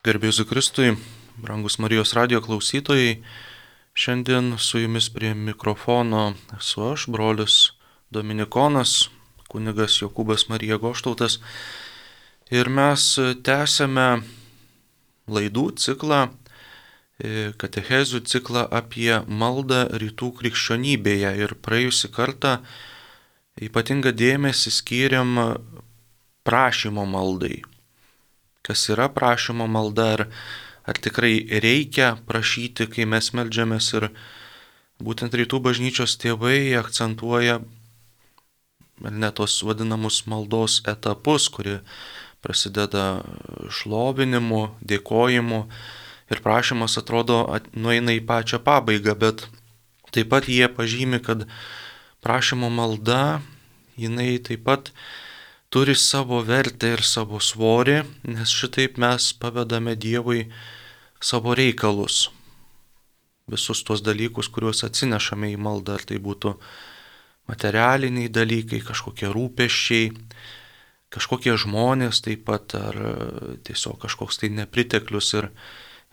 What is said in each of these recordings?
Garbėsiu Kristui, brangus Marijos radijo klausytojai, šiandien su jumis prie mikrofono esu aš, brolis Dominikonas, kunigas Jokūbas Marija Goštautas, ir mes tęsiame laidų ciklą, katechezių ciklą apie maldą rytų krikščionybėje, ir praėjusį kartą ypatingą dėmesį skyrėm prašymo maldai. Kas yra prašymo malda, ar tikrai reikia prašyti, kai mes meldžiamės, ir būtent rytų bažnyčios tėvai akcentuoja tos vadinamus maldos etapus, kurie prasideda šlovinimu, dėkojimu, ir prašymas atrodo nueina į pačią pabaigą, bet taip pat jie pažymi, kad prašymo malda, jinai taip pat turi savo vertę ir savo svorį, nes šitaip mes pavedame Dievui savo reikalus. Visus tuos dalykus, kuriuos atsinešame į maldą, ar tai būtų materialiniai dalykai, kažkokie rūpesčiai, kažkokie žmonės taip pat, ar tiesiog kažkoks tai nepriteklius.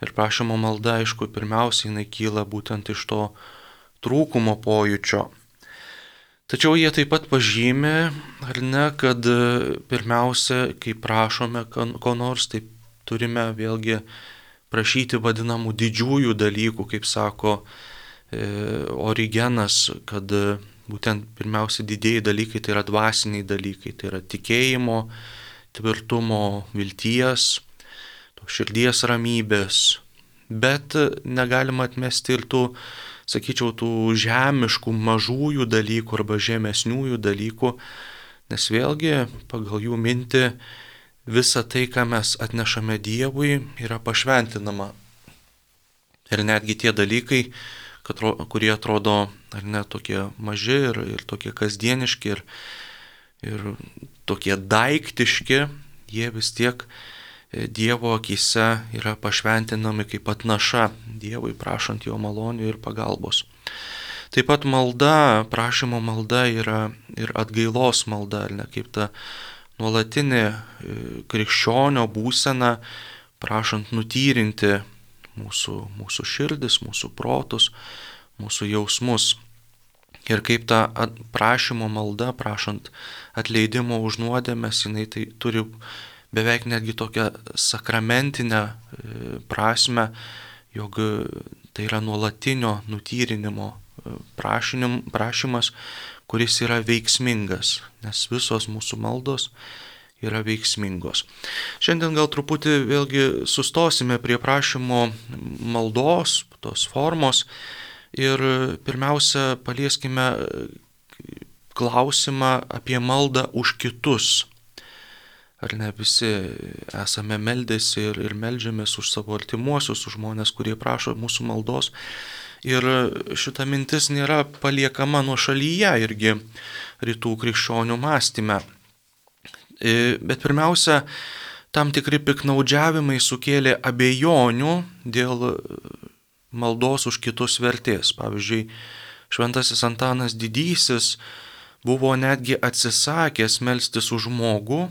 Ir prašymo malda, aišku, pirmiausiai jinai kyla būtent iš to trūkumo pojūčio. Tačiau jie taip pat pažymė, ar ne, kad pirmiausia, kai prašome ko nors, tai turime vėlgi prašyti vadinamų didžiųjų dalykų, kaip sako Origenas, kad būtent pirmiausia didieji dalykai tai yra dvasiniai dalykai, tai yra tikėjimo, tvirtumo, vilties, širdies ramybės, bet negalima atmesti ir tų, sakyčiau, tų žemiškų mažųjų dalykų arba žemesniųjų dalykų, nes vėlgi pagal jų mintį visa tai, ką mes atnešame Dievui, yra pašventinama. Ir netgi tie dalykai, kurie atrodo ar ne tokie maži ir tokie kasdieniški ir tokie daiktiški, jie vis tiek Dievo akyse yra pašventinami kaip atnaša Dievui, prašant jo malonių ir pagalbos. Taip pat malda, prašymo malda yra ir atgailos malda, ar ne, kaip ta nuolatinė krikščionio būsena, prašant nutyrinti mūsų širdis, mūsų protus, mūsų jausmus. Ir kaip ta prašymo malda, prašant atleidimo už nuodėmes, jinai tai turi beveik netgi tokią sakramentinę prasme, jog tai yra nuolatinio nutyrinimo prašymas, kuris yra veiksmingas, nes visos mūsų maldos yra veiksmingos. Šiandien gal truputį vėlgi sustosime prie prašymo maldos, tos formos, ir pirmiausia palieskime klausimą apie maldą už kitus. Ar ne, visi esame meldėsi ir meldžiamės už savo artimuosius, už žmonės, kurie prašo mūsų maldos. Ir šita mintis nėra paliekama nuošalyje irgi rytų krikščionių mąstyme. Bet pirmiausia, tam tikri piknaudžiavimai sukėlė abejonių dėl maldos už kitus vertės. Pavyzdžiui, šventasis Antanas Didysis buvo netgi atsisakęs melstis už žmogų.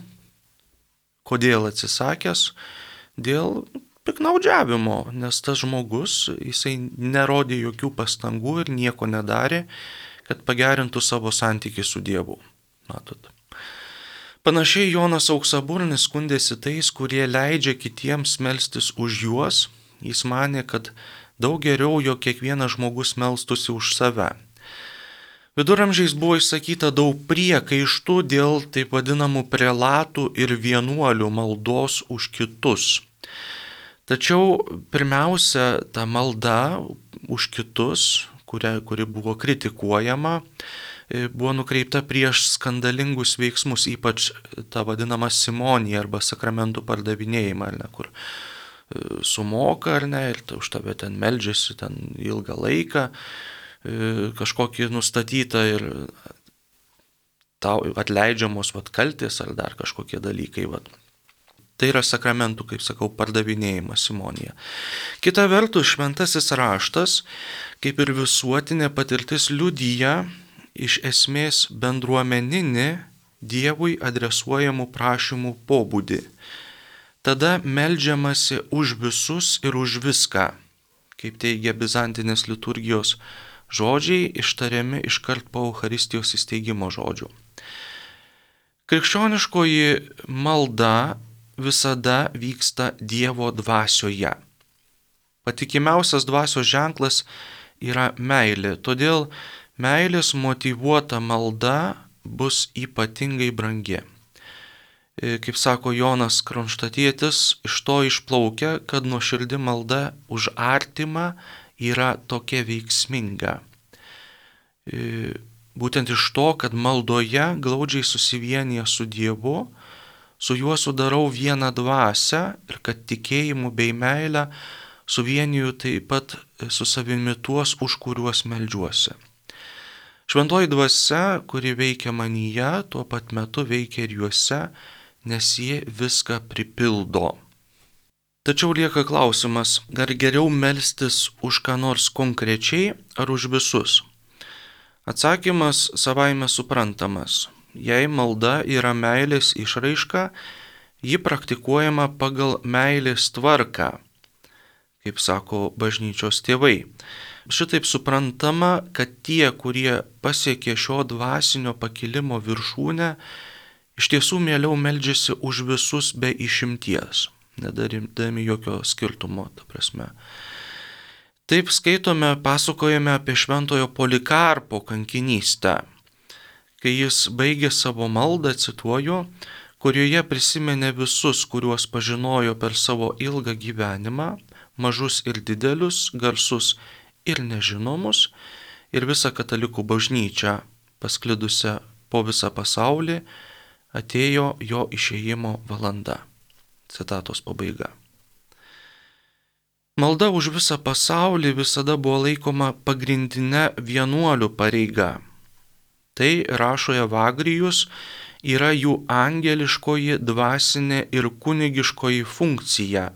Kodėl atsisakęs? Dėl piknaudžiavimo, nes tas žmogus, jisai nerodė jokių pastangų ir nieko nedarė, kad pagerintų savo santykį su Dievu. Matot. Panašiai Jonas Auksaburnis skundėsi tais, kurie leidžia kitiems melstis už juos. Jis manė, kad daug geriau, jog kiekvienas žmogus melstųsi už save. Viduramžiais buvo išsakyta daug priekaištų dėl taip vadinamų prelatų ir vienuolių maldos už kitus. Tačiau pirmiausia, ta malda už kitus, kuri buvo kritikuojama, buvo nukreipta prieš skandalingus veiksmus, ypač ta vadinama simonija arba sakramentų pardavinėjimą, ar ne, kur sumoka, ar ne, ir už tave ten meldžiasi ten ilgą laiką, kažkokį nustatytą ir tau atleidžiamos kaltės ar dar kažkokie dalykai. Tai yra sakramentų, kaip sakau, pardavinėjimas, simonija. Kita vertus, šventasis raštas, kaip ir visuotinė patirtis, liudija iš esmės bendruomeninį Dievui adresuojamų prašymų pobūdį. tada meldžiamasi už visus ir už viską, kaip teigia bizantinės liturgijos žodžiai, ištariami iškart po Eucharistijos įsteigimo žodžių. Krikščioniškoji malda visada vyksta Dievo dvasioje. Patikimiausias dvasios ženklas yra meilė, todėl meilės motyvuota malda bus ypatingai brangi. Kaip sako Jonas Kronštatietis, iš to išplaukia, kad nuoširdi malda už artimą yra tokia veiksminga. Būtent iš to, kad maldoje glaudžiai susivienyje su Dievu, su juo sudarau vieną dvasią ir kad tikėjimu bei meilę suvieniju taip pat su savimi tuos, už kuriuos meldžiuosi. Šventoji dvasia, kuri veikia manyje, tuo pat metu veikia ir juose, nes jie viską pripildo. Tačiau lieka klausimas, ar geriau melstis už ką nors konkrečiai ar už visus? Atsakymas savaime suprantamas. Jei malda yra meilės išraiška, ji praktikuojama pagal meilės tvarką, kaip sako bažnyčios tėvai. Šitaip suprantama, kad tie, kurie pasiekė šio dvasinio pakilimo viršūnę, iš tiesų mieliau meldžiasi už visus be išimties, nedarydami jokio skirtumo, ta prasme. Taip skaitome, pasakojame apie šventojo Polikarpo kankinystę, kai jis baigė savo maldą, cituoju, kurioje prisiminė visus, kuriuos pažinojo per savo ilgą gyvenimą, mažus ir didelius, garsus ir nežinomus, ir visą katalikų bažnyčią, pasklidusią po visą pasaulį, atėjo jo išėjimo valanda. Citatos pabaiga. Malda už visą pasaulį visada buvo laikoma pagrindinė vienuolių pareiga. Tai, rašo Evagrijus, yra jų angeliškoji, dvasinė ir kunigiškoji funkcija.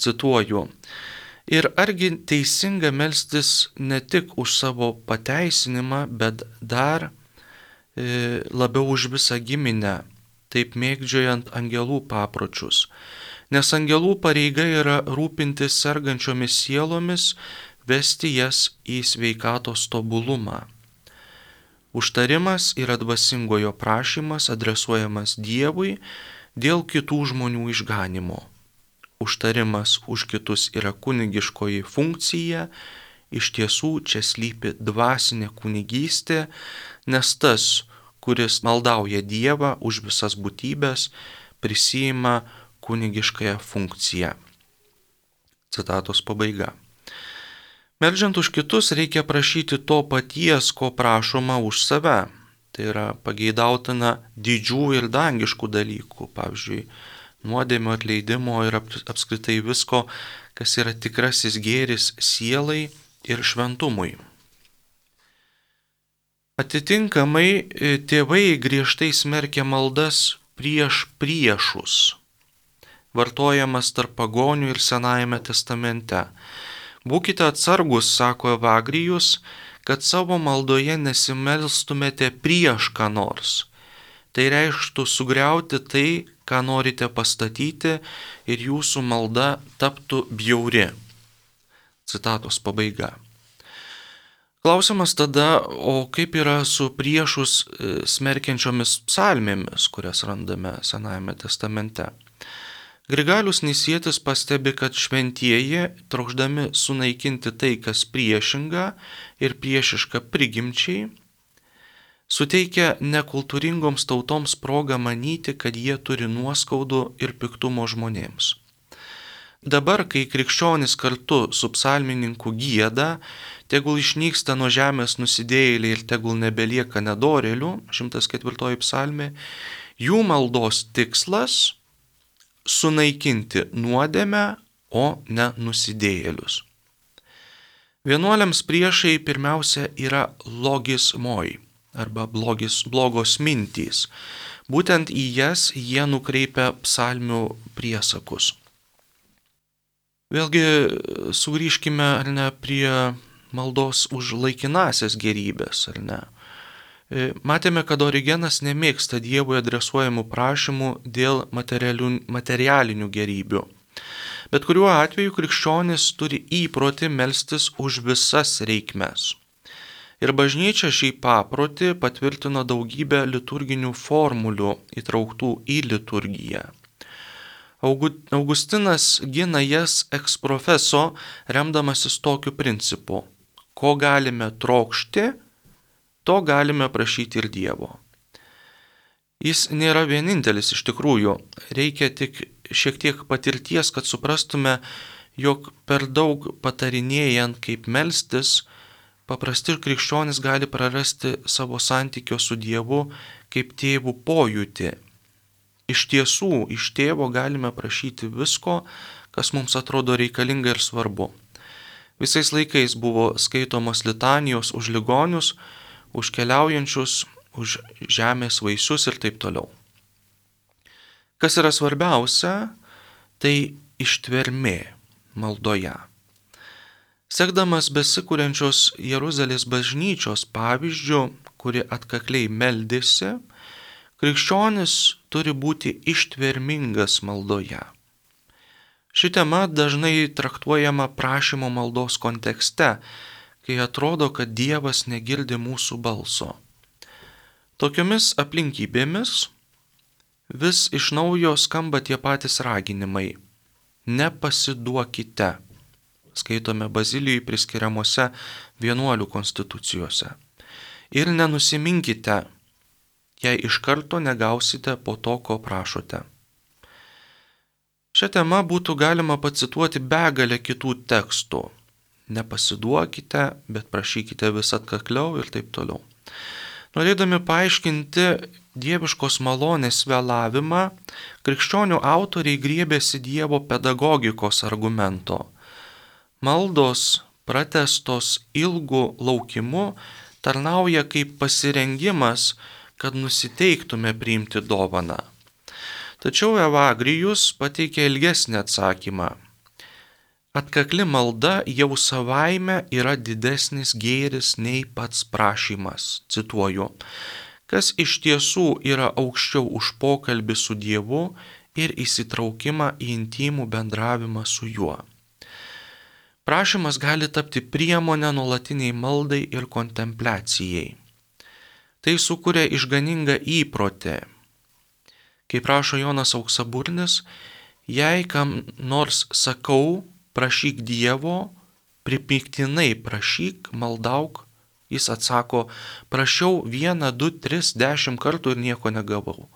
Cituoju. Ir argi teisinga melstis ne tik už savo pateisinimą, bet dar labiau už visą giminę, taip mėgdžiojant angelų papročius. Nes angelų pareiga yra rūpintis sergančiomis sielomis, vesti jas į sveikatos tobulumą. Užtarimas yra dvasingojo prašymas adresuojamas Dievui dėl kitų žmonių išganimo. Užtarimas už kitus yra kunigiškoji funkcija, iš tiesų čia slypi dvasinė kunigystė, nes tas, kuris maldauja Dievą už visas būtybės, prisiima kunigiškąją funkciją. Citatos pabaiga. Meldžiant už kitus reikia prašyti to paties, ko prašoma už save. Tai yra pageidautina didžių ir dangiškų dalykų, pavyzdžiui, nuodėmio atleidimo ir apskritai visko, kas yra tikrasis gėris sielai ir šventumui. Atitinkamai tėvai griežtai smerkia maldas prieš priešus, vartojamas tarp pagonių ir Senajame testamente. Būkite atsargus, sako Evagrijus, kad savo maldoje nesimelstumėte prieš ką nors. Tai reikštų sugriauti tai, ką norite pastatyti, ir jūsų malda taptų bjauri. Citatos pabaiga. Klausimas tada, o kaip yra su priešus smerkiančiomis psalmėmis, kurias randame Senajame testamente? Grigalius Nisietis pastebi, kad šventieji, trokšdami sunaikinti tai, kas priešinga ir priešiška prigimčiai, suteikia nekultūringoms tautoms progą manyti, kad jie turi nuoskaudų ir piktumo žmonėms. Dabar, kai krikščionys kartu su psalmininku gieda, tegul išnyksta nuo žemės nusidėjėliai ir tegul nebelieka nedorėlių, 104 psalmė, jų maldos tikslas – sunaikinti nuodėmę, o ne nusidėjėlius. Vienuoliams priešai pirmiausia yra logismoi, arba blogos mintys. Būtent į jas jie nukreipia psalmių priesakus. Vėlgi sugrįžkime, ar ne, prie maldos už laikinasias gėrybės, ar ne. Matėme, kad Origenas nemėgsta Dievui adresuojamų prašymų dėl materialinių gerybių. Bet kuriuo atveju krikščionis turi įprotį melstis už visas reikmes. Ir bažnyčia šį paprotį patvirtino daugybę liturginių formulių įtrauktų į liturgiją. Augustinas gina jas ex profeso, remdamasis tokiu principu: ko galime trokšti, to galime prašyti ir Dievo. Jis nėra vienintelis iš tikrųjų, reikia tik šiek tiek patirties, kad suprastume, jog per daug patarinėjant, kaip melstis, paprasti krikščionys gali prarasti savo santykio su Dievu kaip tėvų pojūtį. Iš tiesų, iš tėvo galime prašyti visko, kas mums atrodo reikalinga ir svarbu. Visais laikais buvo skaitomos litanijos už ligonius, už keliaujančius, už žemės vaisius ir taip toliau. Kas yra svarbiausia, tai ištvermė maldoje. Sekdamas besikuriančios Jeruzalės bažnyčios pavyzdžių, kuri atkakliai meldėsi, krikščionis turi būti ištvermingas maldoje. Ši tema dažnai traktuojama prašymo maldos kontekste, kai atrodo, kad Dievas negirdi mūsų balso. Tokiomis aplinkybėmis vis iš naujo skamba tie patys raginimai: nepasiduokite, skaitome Bazilijai priskiriamuose vienuolių konstitucijose, ir nenusiminkite, jei iš karto negausite po to, ko prašote. Šią temą būtų galima pacituoti begalę kitų tekstų: nepasiduokite, bet prašykite vis atkakliau ir taip toliau. Norėdami paaiškinti dieviškos malonės vėlavimą, krikščionių autoriai griebėsi Dievo pedagogikos argumento. Maldos, pratęstos ilgu laukimu, tarnauja kaip pasirengimas, kad nusiteiktume priimti dovaną. Tačiau Evagrijus pateikė ilgesnį atsakymą. Atkakli malda jau savaime yra didesnis gėris nei pats prašymas. Cituoju: kas iš tiesų yra aukščiau už pokalbį su Dievu ir įsitraukimą į intimų bendravimą su juo. Prašymas gali tapti priemonę nuolatiniai maldai ir kontempliacijai. Tai sukuria išganingą įprotį. Kaip rašo Jonas Auksaburnis, jei kam nors sakau, prašyk Dievo, pripiktinai prašyk, maldauk, jis atsako: prašiau 1, 2, 3, 10 kartų ir nieko negavau.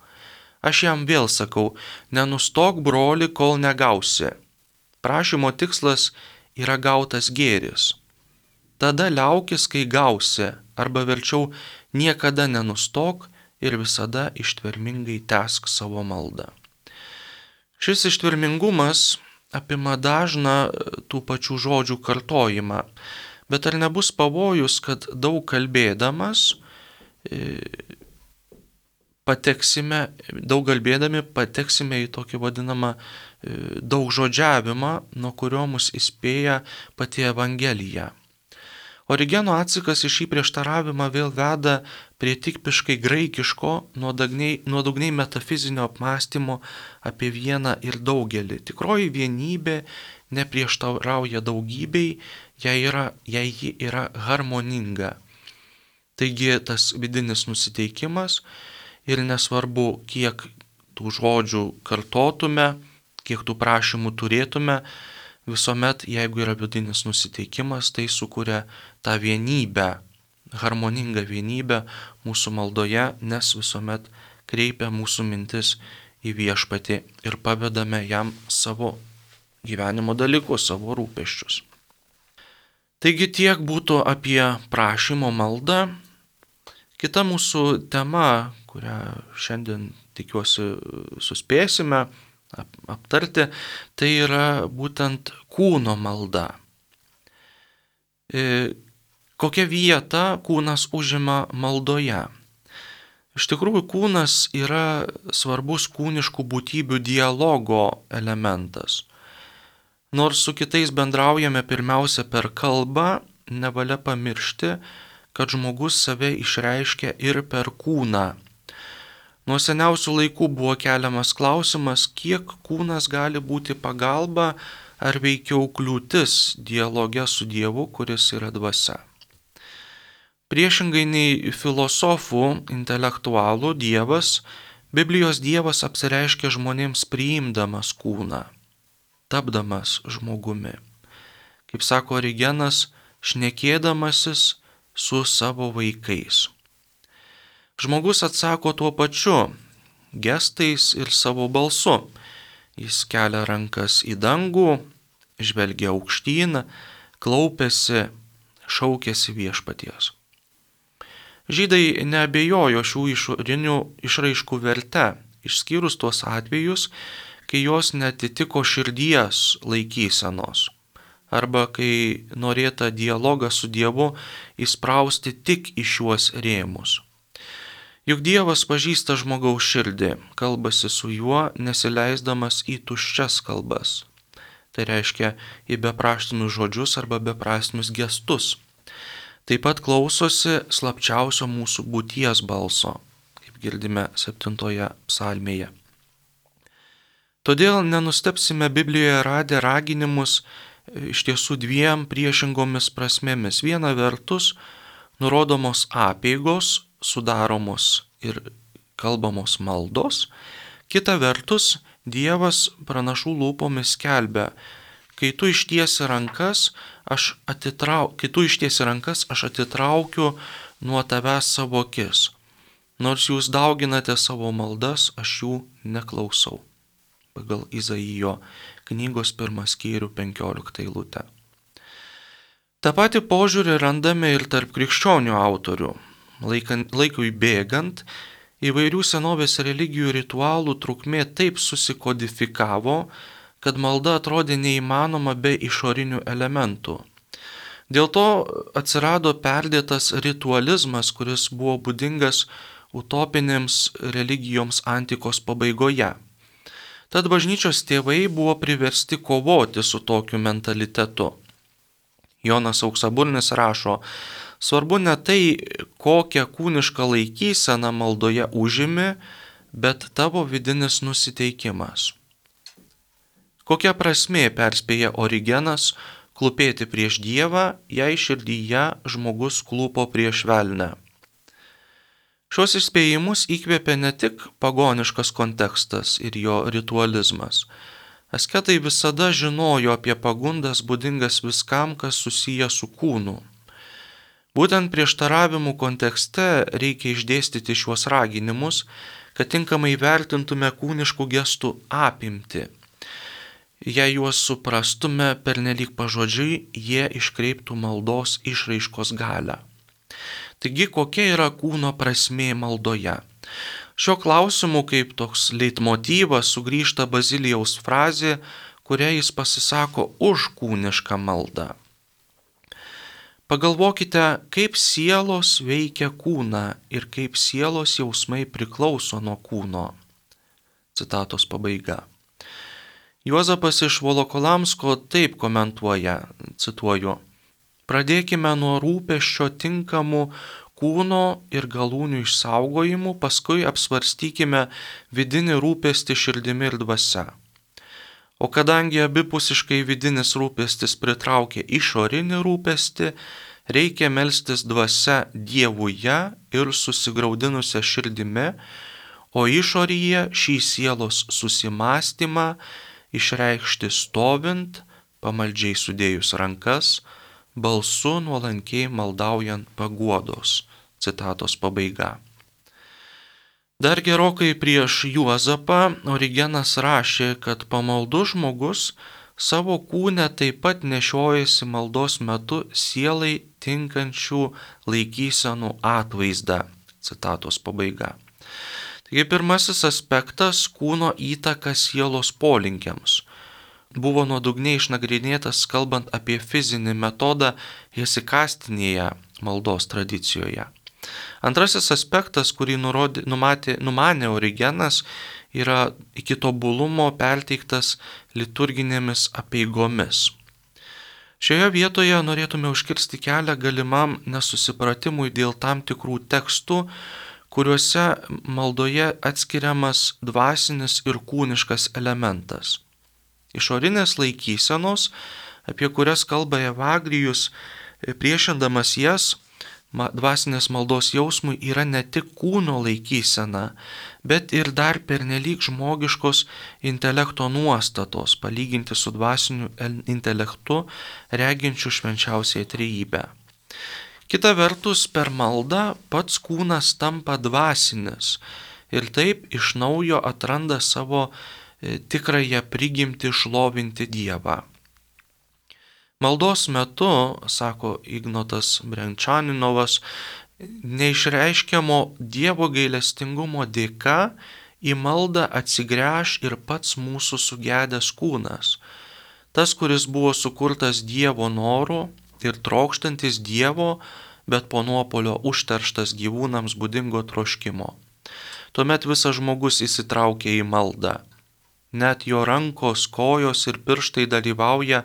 Aš jam vėl sakau: nenustok, broli, kol negausi. Prašymo tikslas yra gautas gėris. Tada liaukis, kai gausi, arba verčiau niekada nenustok ir visada ištvermingai tęsk savo maldą. Šis ištvermingumas apima dažną tų pačių žodžių kartojimą, bet ar nebus pavojus, kad daug kalbėdami pateksime į tokį vadinamą daug žodžiavimą, nuo kurio mus įspėja pati Evangelija. Origeno atsakas į šį prieštaravimą vėl veda prie tipiškai graikiško, nuodugniai metafizinio apmąstymo apie vieną ir daugelį. Tikroji vienybė neprieštarauja daugybei, jei ji yra harmoninga. Taigi tas vidinis nusiteikimas, ir nesvarbu, kiek tų žodžių kartotume, kiek tų prašymų turėtume, visuomet, jeigu yra vidinis nusiteikimas, tai sukuria tą vienybę, harmoningą vienybę mūsų maldoje, nes visuomet kreipia mūsų mintis į Viešpatį ir pavedame jam savo gyvenimo dalykus, savo rūpesčius. Taigi tiek būtų apie prašymo maldą. Kita mūsų tema, kurią šiandien tikiuosi suspėsime aptarti, tai yra būtent kūno malda. Kokią vietą kūnas užima maldoje? Iš tikrųjų, kūnas yra svarbus kūniškų būtybių dialogo elementas. Nors su kitais bendraujame pirmiausia per kalbą, nevalia pamiršti, kad žmogus save išreiškia ir per kūną. Nuo seniausių laikų buvo keliamas klausimas, kiek kūnas gali būti pagalba ar veikiau kliūtis dialoge su Dievu, kuris yra dvasia. Priešingai nei filosofų, intelektualų Dievas, Biblijos Dievas apsireiškia žmonėms priimdamas kūną, tapdamas žmogumi. Kaip sako Origenas, šnekėdamasis su savo vaikais. Žmogus atsako tuo pačiu, gestais ir savo balsu. Jis kelia rankas į dangų, žvelgia aukštyn, klaupiasi, šaukiasi viešpaties. Žydai neabejojo šių išorinių išraiškų verte, išskyrus tuos atvejus, kai jos netitiko širdies laikysenos, arba kai norėta dialogą su Dievu įsprausti tik į šiuos rėmus. Juk Dievas pažįsta žmogaus širdį, kalbasi su juo, nesileisdamas į tuščias kalbas. Tai reiškia į bepraštinius žodžius arba beprasmius gestus. Taip pat klausosi slapčiausio mūsų būties balso, kaip girdime 7 psalmėje. Todėl nenustepsime Biblijoje radę raginimus iš tiesų dviem priešingomis prasmėmis. Viena vertus, nurodomos apeigos, sudaromos ir kalbamos maldos. Kita vertus, Dievas pranašų lūpomis skelbia, kai tu ištiesi rankas, aš atitraukiu nuo tavęs savo akis. Nors jūs dauginate savo maldas, aš jų neklausau. Pagal Izaijo knygos 1 skyrių 15 eilutę. Ta pati požiūrį randame ir tarp krikščionių autorių. Laikui bėgant, įvairių senovės religijų ritualų trukmė taip susikodifikavo, kad malda atrodė neįmanoma be išorinių elementų. Dėl to atsirado perdėtas ritualizmas, kuris buvo būdingas utopinėms religijoms antikos pabaigoje. Tad bažnyčios tėvai buvo priversti kovoti su tokiu mentalitetu. Jonas Auksaburnis rašo, svarbu ne tai, kokią kūnišką laikyseną maldoje užimi, bet tavo vidinis nusiteikimas. Kokia prasmė, perspėja Origenas, klūpėti prieš Dievą, jei širdyje žmogus klūpo prieš velnę. Šios įspėjimus įkvėpė ne tik pagoniškas kontekstas ir jo ritualizmas. Asketai visada žinojo apie pagundas būdingas viskam, kas susiję su kūnu. Būtent prieštaravimų kontekste reikia išdėstyti šiuos raginimus, kad tinkamai vertintume kūniškų gestų apimtį. Jei juos suprastume pernelyg pažodžiui, jie iškreiptų maldos išraiškos galią. Taigi, kokia yra kūno prasmė maldoje? Šio klausimu kaip toks leitmotyvas sugrįžta Bazilijaus frazė, kuria jis pasisako už kūnišką maldą. Pagalvokite, kaip sielos veikia kūną ir kaip sielos jausmai priklauso nuo kūno. Citatos pabaiga. Juozapas iš Volokolamsko taip komentuoja, cituoju, pradėkime nuo rūpesčio tinkamų kūno ir galūnių išsaugojimų, paskui apsvarstykime vidinį rūpestį širdimi ir dvasia. O kadangi abipusiškai vidinis rūpestis pritraukia išorinį rūpestį, reikia melstis dvasia Dievuje ir susigraudinusią širdimi, o išoryje šį sielos susimastymą išreikšti stovint, pamaldžiai sudėjus rankas, balsu nuolankiai maldaujant paguodos. Citatos pabaiga. Dar gerokai prieš Juozapą Origenas rašė, kad pamaldus žmogus savo kūne taip pat nešiojasi maldos metu sielai tinkančių laikysenų atvaizdą. Citatos pabaiga. Taigi pirmasis aspektas - kūno įtaka sielos polinkiams. Buvo nuodugniai išnagrinėtas kalbant apie fizinį metodą hesikastinėje maldos tradicijoje. Antrasis aspektas, kurį numanė Origenas, yra iki tobulumo perteiktas liturginėmis apeigomis. Šioje vietoje norėtume užkirsti kelią galimam nesusipratimui dėl tam tikrų tekstų, kuriuose maldoje atskiriamas dvasinis ir kūniškas elementas. Išorinės laikysenos, apie kurias kalba Evagrijus, priešindamas jas, dvasinės maldos jausmui yra ne tik kūno laikysena, bet ir dar pernelyg žmogiškos intelekto nuostatos, palyginti su dvasiniu intelektu, reginčiu švenčiausiąją trejybę. Kita vertus, per maldą pats kūnas tampa dvasinis ir taip iš naujo atranda savo tikrąją prigimtį šlovinti Dievą. Maldos metu, sako Ignotas Brenčaninovas, neišreiškiamo Dievo gailestingumo dėka į maldą atsigręš ir pats mūsų sugedęs kūnas. Tas, kuris buvo sukurtas Dievo noru ir trokštantis Dievo, bet po nuopolio užterštas gyvūnams būdingo troškimo. Tuomet visas žmogus įsitraukia į maldą. Net jo rankos, kojos ir pirštai dalyvauja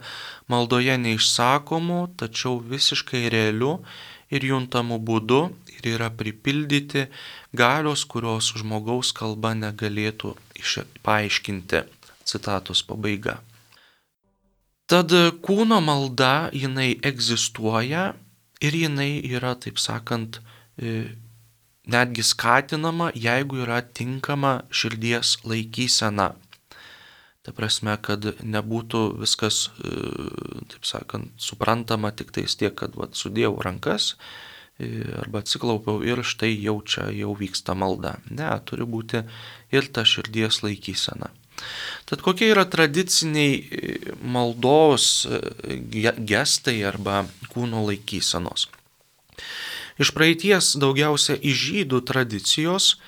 maldoje neišsakomu, tačiau visiškai realiu ir juntamu būdu ir yra pripildyti galios, kurios žmogaus kalba negalėtų paaiškinti. Citatos pabaiga. Tad kūno malda, jinai egzistuoja ir jinai yra, taip sakant, netgi skatinama, jeigu yra tinkama širdies laikysena. Ta prasme, kad nebūtų viskas, taip sakant, suprantama tik tais tiek, kad sudėjau rankas arba atsiklaupiau ir štai jau vyksta malda. Ne, turi būti ir ta širdies laikysena. Tad kokie yra tradiciniai maldos gestai arba kūno laikysenos? Iš praeities daugiausia iš žydų tradicijos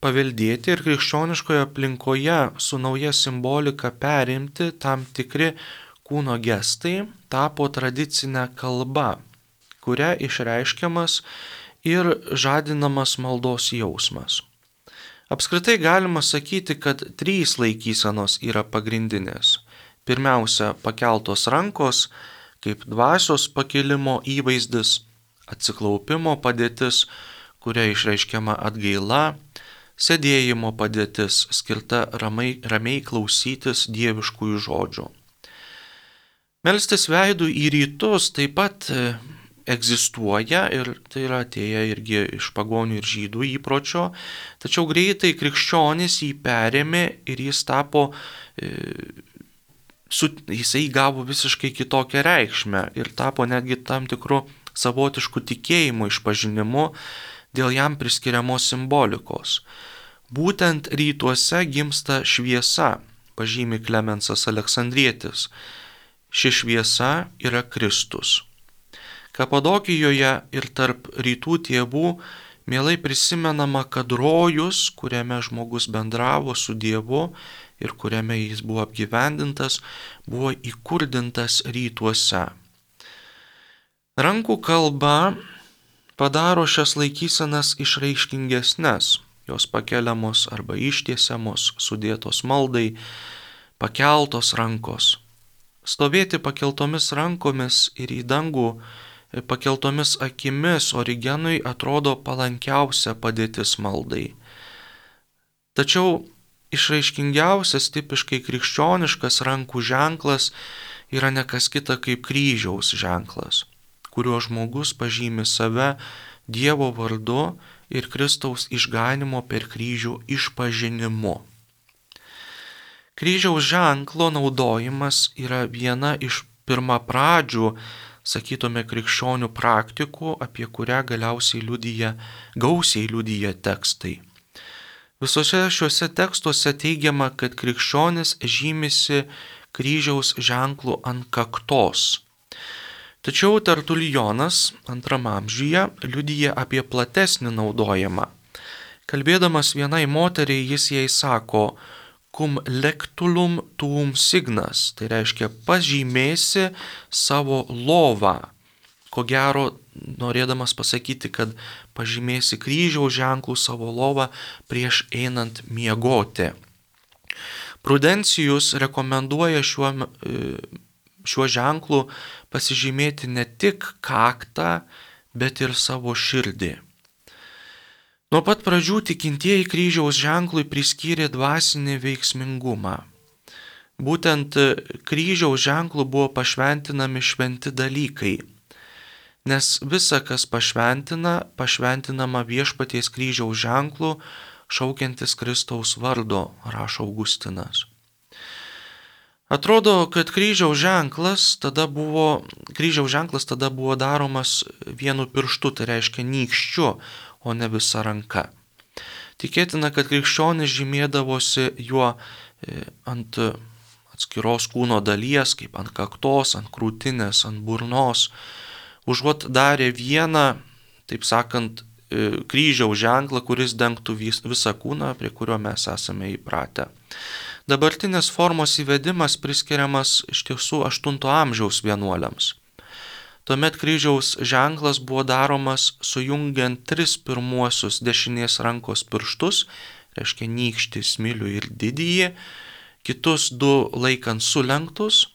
paveldėti ir krikščioniškoje aplinkoje su nauja simbolika perimti tam tikri kūno gestai tapo tradicinė kalba, kuria išreiškiamas ir žadinamas maldos jausmas. Apskritai galima sakyti, kad 3 laikysenos yra pagrindinės. Pirmiausia, pakeltos rankos, kaip dvasios pakilimo įvaizdis, atsiklaupimo padėtis, kuria išreiškiama atgaila, sėdėjimo padėtis, skirta ramiai klausytis dieviškųjų žodžių. Melstis veidų į rytus taip pat egzistuoja ir tai yra atėję irgi iš pagonių ir žydų įpročio, tačiau greitai krikščionys jį perėmė ir jisai gavo visiškai kitokią reikšmę ir tapo netgi tam tikru savotišku tikėjimu išpažinimu dėl jam priskiriamos simbolikos. Būtent rytuose gimsta šviesa, pažymi Klemensas Aleksandrietis. Ši šviesa yra Kristus. Kapadokijoje ir tarp rytų tėvų mielai prisimenama, kad rojus, kuriame žmogus bendravo su Dievu ir kuriame jis buvo apgyvendintas, buvo įkurdintas rytuose. Rankų kalba padaro šias laikysenas išraiškingesnes, jos pakeliamos arba ištiesiamos, sudėtos maldai, pakeltos rankos. Stovėti pakeltomis rankomis ir į dangų pakeltomis akimis Origenui atrodo palankiausia padėtis maldai. Tačiau išraiškingiausias tipiškai krikščioniškas rankų ženklas yra ne kas kita kaip kryžiaus ženklas, kuriuo žmogus pažymi save Dievo vardu ir Kristaus išganimo per kryžių išpažinimu. Kryžiaus ženklo naudojimas yra viena iš pirmapradžių, sakytume, krikščionių praktikų, apie kurią gausiai liudija tekstai. Visose šiuose tekstuose teigiama, kad krikščionis žymisi kryžiaus ženklų ant kaktos. Tačiau Tertulijonas II amžiuje liudija apie platesnį naudojimą. Kalbėdamas vienai moteriai, jis jai sako: cum lectulum tuum signas, tai reiškia pažymėsi savo lovą. Ko gero, norėdamas pasakyti, kad pažymėsi kryžiaus ženklų savo lovą prieš einant miegoti. Prudencijus rekomenduoja šiuo ženklu pasižymėti ne tik kaktą, bet ir savo širdį. Nuo pat pradžių tikintieji kryžiaus ženklui priskyrė dvasinį veiksmingumą. Būtent kryžiaus ženklų buvo pašventinami šventi dalykai, nes visa, kas pašventinama viešpaties kryžiaus ženklu, šaukiantis Kristaus vardo, rašo Augustinas. Atrodo, kad kryžiaus ženklas tada buvo daromas vienu pirštu, tai reiškia nykščiu, o ne visa ranka. Tikėtina, kad krikščionis žymėdavosi juo ant atskiros kūno dalies, kaip ant kaktos, ant krūtinės, ant burnos, užuot darė vieną, taip sakant, kryžiaus ženklą, kuris dengtų visą kūną, prie kurio mes esame įpratę. Dabartinės formos įvedimas priskiriamas iš tiesų 8 amžiaus vienuoliams. Tuomet kryžiaus ženklas buvo daromas sujungiant 3 pirmuosius dešinės rankos pirštus, reiškia nykštį, smilių ir didįjį, kitus 2 laikant sulenktus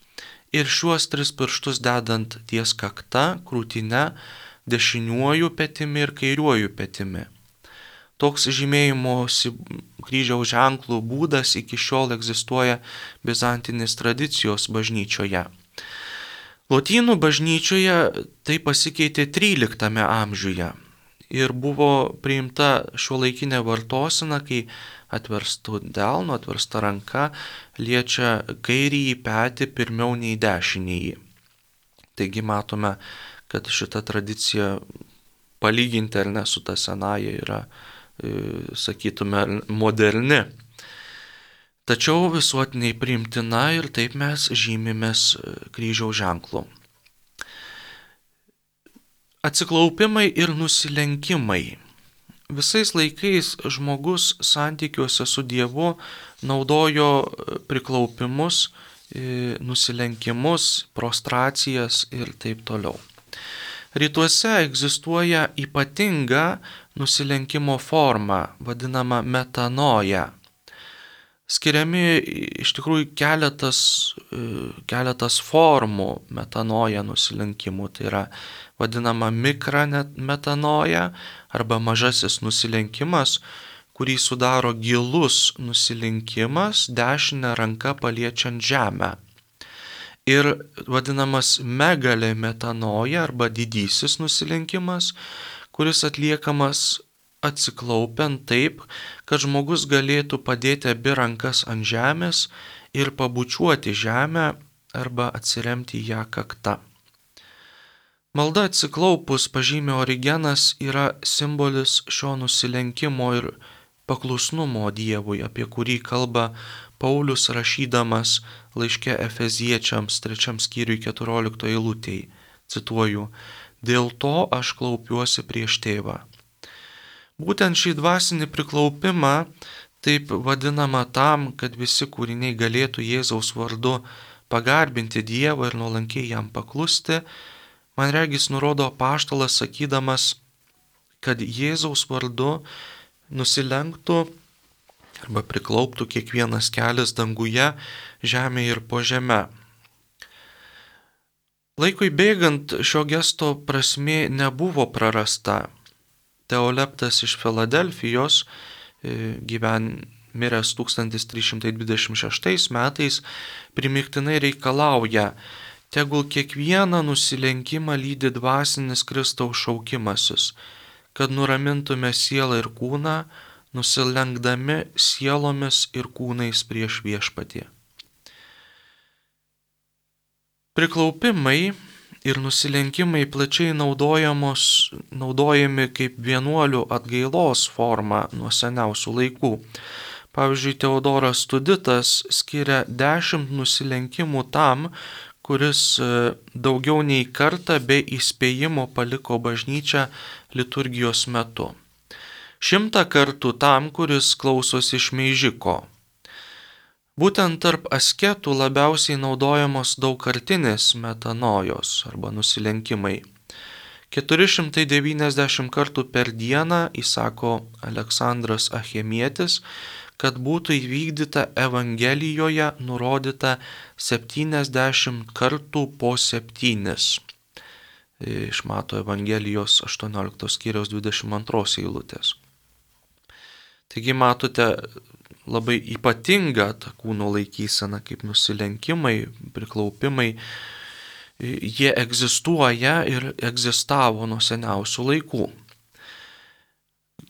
ir šiuos 3 pirštus dedant ties kakta, krūtine, dešiniuoju petimi ir kairiuoju petimi. Toks žymėjimosi kryžiaus ženklų būdas iki šiol egzistuoja bizantinės tradicijos bažnyčioje. Lotynų bažnyčioje tai pasikeitė 13 amžiuje ir buvo priimta šiuolaikinė vartosena, kai atverstų delnu, atversta ranka liečia kairįjį petį pirmiau nei dešinįjį. Taigi matome, kad šita tradicija palyginti ar ne su ta senaja yra, sakytume, moderni. Tačiau visuotiniai priimtina ir taip mes žymimės kryžiaus ženklu. Atsiklaupimai ir nusilenkimai. Visais laikais žmogus santykiuose su Dievu naudojo priklaupimus, nusilenkimus, prostracijas ir taip toliau. Rytuose egzistuoja ypatinga nusilenkimo forma, vadinama metanoja. Skiriami iš tikrųjų keletas formų metanoja nusilenkimų. Tai yra vadinama mikrometanoja arba mažasis nusilenkimas, kurį sudaro gilus nusilenkimas dešinę ranką paliečiant žemę. Ir vadinamas megalė metanoja arba didysis nusilenkimas, kuris atliekamas atsiklaupiant taip, kad žmogus galėtų padėti abi rankas ant žemės ir pabučiuoti žemę arba atsiremti ją kakta. Malda atsiklaupus, pažymė Origenas, yra simbolis šio nusilenkimo ir paklusnumo Dievui, apie kurį kalba Paulius rašydamas laiške Efeziečiams 3 skyriui 14 eilutėj. Cituoju: "Dėl to aš klaupiuosi prieš tėvą." Būtent šį dvasinį priklaupimą, taip vadinama tam, kad visi kūriniai galėtų Jėzaus vardu pagarbinti Dievą ir nuolankiai jam paklusti, man regis nurodo apaštalas sakydamas, kad Jėzaus vardu nusilenktų arba priklauptų kiekvienas kelias danguje, žemėje ir po žeme. Laikui bėgant šio gesto prasmė nebuvo prarasta. Teoleptas iš Filadelfijos, miręs 1326 metais, primygtinai reikalauja: tegul kiekvieną nusilenkimą lydi dvasinis Kristaus šaukimasis, kad nuramintume sielą ir kūną, nusilenkdami sielomis ir kūnais prieš viešpatį. Priklaupimai ir nusilenkimai plačiai naudojami kaip vienuolių atgailos forma nuo seniausių laikų. Pavyzdžiui, Teodoras Tuditas skiria 10 nusilenkimų tam, kuris daugiau nei kartą be įspėjimo paliko bažnyčią liturgijos metu. 100 kartų tam, kuris klausosi šmeižiko. Būtent tarp asketų labiausiai naudojamos daugkartinės metanojos arba nusilenkimai. 490 kartų per dieną, įsako Aleksandras Achemietis, kad būtų įvykdyta Evangelijoje nurodyta 70 kartų po 7. Iš Mato Evangelijos 18 skyriaus 22 eilutės. Taigi matote labai ypatingą tą kūno laikyseną, kaip nusilenkimai, priklaupimai. Jie egzistuoja ir egzistavo nuo seniausių laikų.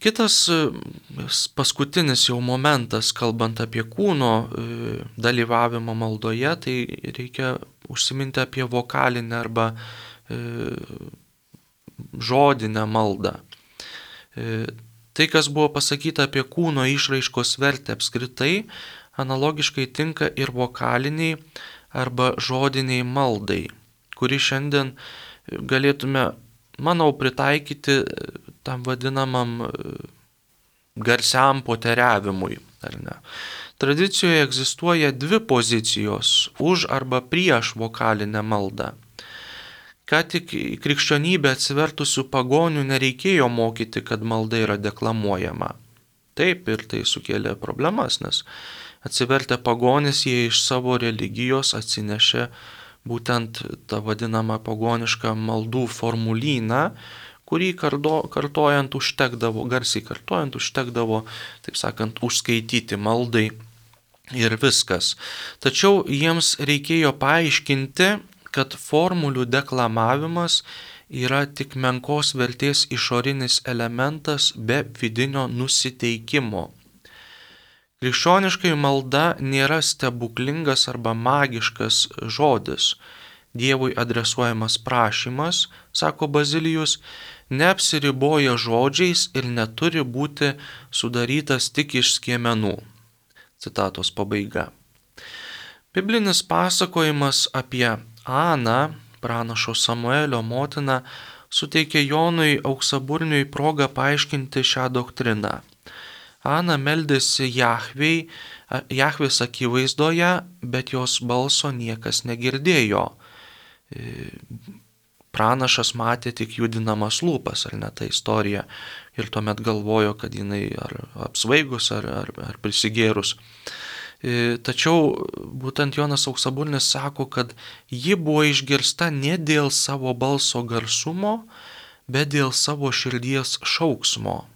Kitas paskutinis jau momentas, kalbant apie kūno dalyvavimą maldoje, tai reikia užsiminti apie vokalinę arba žodinę maldą. Tai, kas buvo pasakyta apie kūno išraiškos vertę apskritai, analogiškai tinka ir vokaliniai arba žodiniai maldai, kuri šiandien galėtume, manau, pritaikyti tam vadinamam garsiam poteriavimui, ar ne. Tradicijoje egzistuoja dvi pozicijos - už arba prieš vokalinę maldą. Ką tik į krikščionybę atsivertusių pagonių nereikėjo mokyti, kad malda yra deklamuojama. Taip, ir tai sukėlė problemas, nes atsivertę pagonis jie iš savo religijos atsinešė būtent tą vadinamą pagonišką maldų formulyną, kurį kartojant užtekdavo, garsiai kartojant užtekdavo, taip sakant, užskaityti maldai ir viskas. Tačiau jiems reikėjo paaiškinti, kad formulių deklamavimas yra tik menkos vertės išorinis elementas be vidinio nusiteikimo. Krikščioniškai malda nėra stebuklingas arba magiškas žodis. Dievui adresuojamas prašymas, sako Bazilijus, neapsiriboja žodžiais ir neturi būti sudarytas tik iš skiemenų. Citatos pabaiga. Biblinis pasakojimas apie Aną, pranašo Samuelio motiną, suteikė Jonui Auksaburniui progą paaiškinti šią doktriną. Ana meldėsi Jahvės akivaizdoje, bet jos balso niekas negirdėjo. Pranašas matė tik judinamas lūpas, ar ne, ta istorija, ir tuomet galvojo, kad jinai ar apsvaigus, ar prisigėrus. Tačiau būtent Jonas Auksaburnis sako, kad ji buvo išgirsta ne dėl savo balso garsumo, bet dėl savo širdies šauksmo.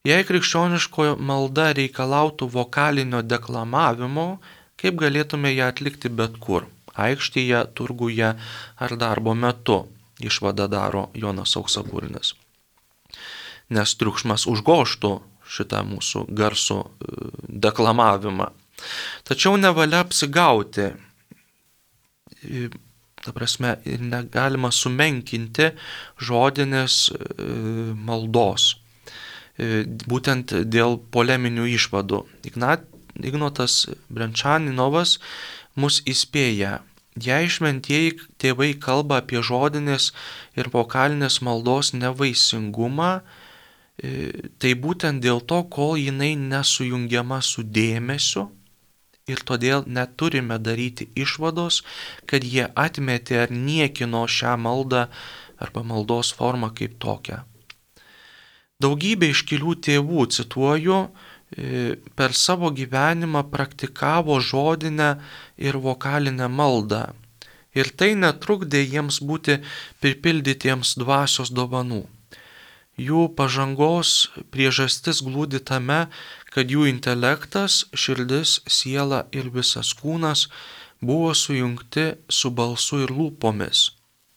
Jei krikščioniško malda reikalautų vokalinio deklamavimo, kaip galėtume ją atlikti bet kur - aikštėje, turguje ar darbo metu, išvadą daro Jonas Auksaburnis. Nes triukšmas užgoštų šitą mūsų garsų deklamavimą. Tačiau nevalia apsigauti. Ta prasme, negalima sumenkinti žodinės maldos. Būtent dėl poleminių išvadų. Ignotas Brenčaninovas mus įspėja, jei šventieji tėvai kalba apie žodinės ir vokalinės maldos nevaisingumą, tai būtent dėl to, kol jinai nesujungiama su dėmesiu ir todėl neturime daryti išvados, kad jie atmetė ar niekino šią maldą arba maldos formą kaip tokią. Daugybė iškilių tėvų, cituoju, per savo gyvenimą praktikavo žodinę ir vokalinę maldą. Ir tai netrukdė jiems būti pripildytiems dvasios dovanų. Jų pažangos priežastis glūdi tame, kad jų intelektas, širdis, siela ir visas kūnas buvo sujungti su balsu ir lūpomis.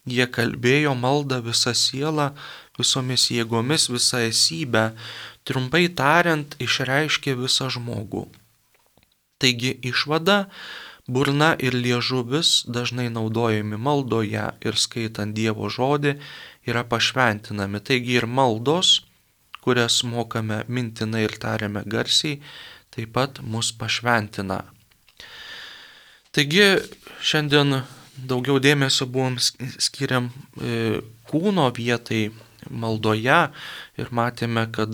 Jie kalbėjo maldą visą sielą, visomis jėgomis, visą esybę, trumpai tariant, išreiškė visą žmogų. Taigi išvada, burna ir liežuvis dažnai naudojami maldoje ir skaitant Dievo žodį yra pašventinami. Taigi ir maldos, kurias mokame mintinai ir tariame garsiai, taip pat mus pašventina. Taigi šiandien daugiau dėmesio buvom skiriam kūno vietai maldoje ir matėme, kad,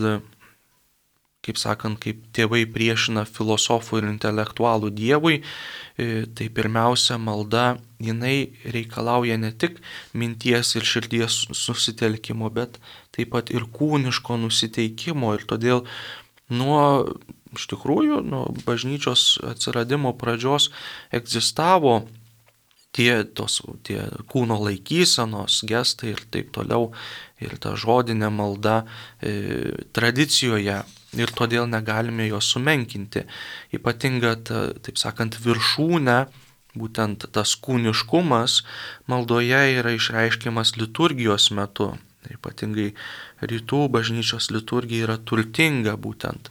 kaip sakant, kaip tėvai priešina filosofų ir intelektualų Dievui, tai pirmiausia malda, jinai reikalauja ne tik minties ir širdies susitelkimo, bet taip pat ir kūniško nusiteikimo ir todėl iš tikrųjų, nuo bažnyčios atsiradimo pradžios egzistavo tie kūno laikysenos, gestai ir taip toliau, ir ta žodinė malda tradicijoje, ir todėl negalime jos sumenkinti. Ypatinga, taip sakant, viršūnė, būtent tas kūniškumas maldoje yra išreiškiamas liturgijos metu. Ypatingai rytų bažnyčios liturgija yra turtinga būtent,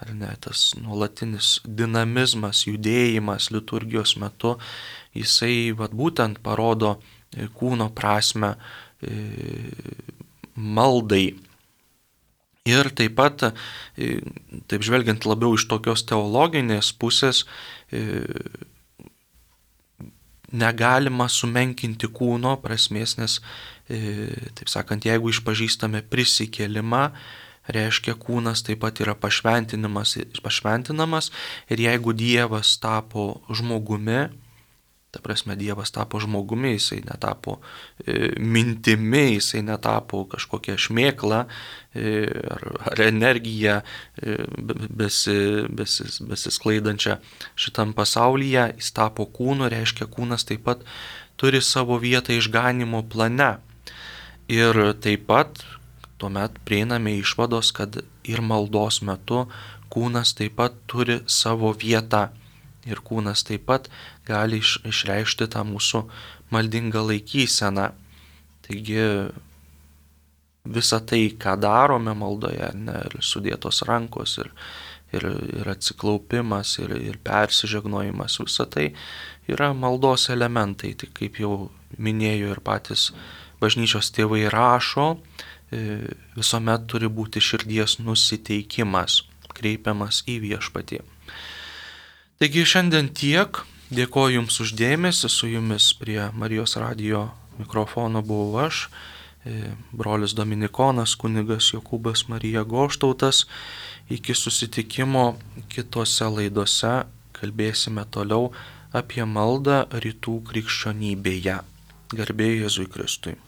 ar ne, tas nuolatinis dinamizmas, judėjimas liturgijos metu, jisai būtent parodo kūno prasme maldai. Ir taip pat, taip žvelgiant labiau iš tokios teologinės pusės, negalima sumenkinti kūno prasmės, nes, taip sakant, jeigu išpažįstame prisikėlimą, reiškia kūnas taip pat yra pašventinamas, ir jeigu Dievas tapo žmogumi, ta prasme Dievas tapo žmogumi, jisai netapo mintimi, jisai netapo kažkokia šmėkla ar energija besisklaidančia šitam pasaulyje, jis tapo kūnu, reiškia kūnas taip pat turi savo vietą išganimo plane. Ir taip pat tuomet prieiname išvados, kad ir maldos metu kūnas taip pat turi savo vietą. Ir kūnas taip pat gali išreikšti tą mūsų maldingą laikyseną. Taigi visa tai, ką darome maldoje, ir sudėtos rankos, ir atsiklaupimas, ir persižegnojimas, visa tai yra maldos elementai. Tai kaip jau minėjo ir patys bažnyčios tėvai rašo, visuomet turi būti širdies nusiteikimas, kreipiamas į Viešpatį. Taigi šiandien tiek, dėkoju Jums už dėmesį, su Jumis prie Marijos radijo mikrofono buvau aš, brolis Dominikonas, kunigas Jokūbas Marija Goštautas. Iki susitikimo kitose laidose kalbėsime toliau apie maldą rytų krikščionybėje. Garbė Jėzui Kristui.